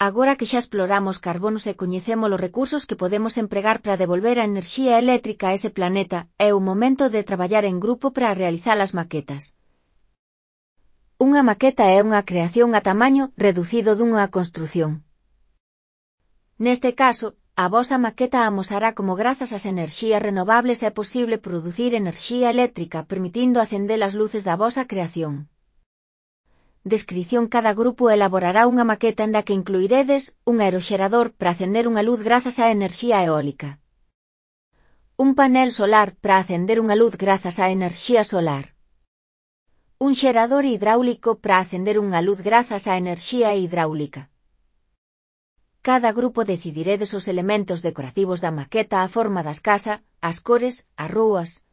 Agora que xa exploramos carbonos e coñecemos os recursos que podemos empregar para devolver a enerxía eléctrica a ese planeta, é o momento de traballar en grupo para realizar as maquetas. Unha maqueta é unha creación a tamaño reducido dunha construción. Neste caso, a vosa maqueta amosará como grazas ás enerxías renovables é posible producir enerxía eléctrica permitindo acender as luces da vosa creación. Descrición: cada grupo elaborará unha maqueta en da que incluiredes un aeroxerador para acender unha luz grazas á enerxía eólica, un panel solar para acender unha luz grazas á enerxía solar, un xerador hidráulico para acender unha luz grazas á enerxía hidráulica. Cada grupo decidiredes os elementos decorativos da maqueta, a forma das casas, as cores, as rúas,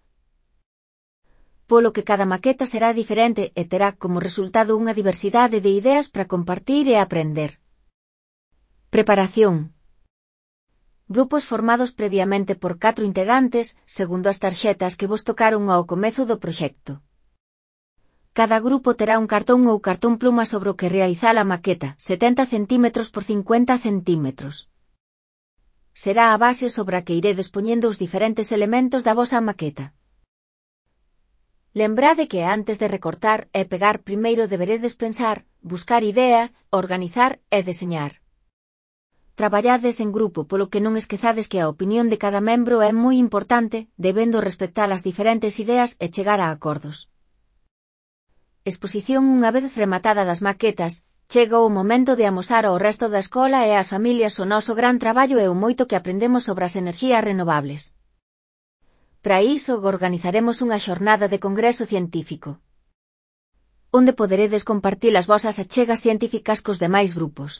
polo que cada maqueta será diferente e terá como resultado unha diversidade de ideas para compartir e aprender. Preparación. Grupos formados previamente por 4 integrantes, segundo as tarxetas que vos tocaron ao comezo do proxecto. Cada grupo terá un cartón ou cartón pluma sobre o que realizar a maqueta, 70 cm por 50 cm. Será a base sobre a que iredes poñendo os diferentes elementos da vosa maqueta. Lembrade que antes de recortar e pegar primeiro deberedes pensar, buscar idea, organizar e deseñar. Traballades en grupo, polo que non esquezades que a opinión de cada membro é moi importante, debendo respectar as diferentes ideas e chegar a acordos. Exposición. Unha vez rematada das maquetas, chega o momento de amosar ao resto da escola e ás familias o noso gran traballo e o moito que aprendemos sobre as enerxías renovables. Para iso organizaremos unha xornada de congreso científico, onde poderedes compartir as vosas achegas científicas cos demais grupos.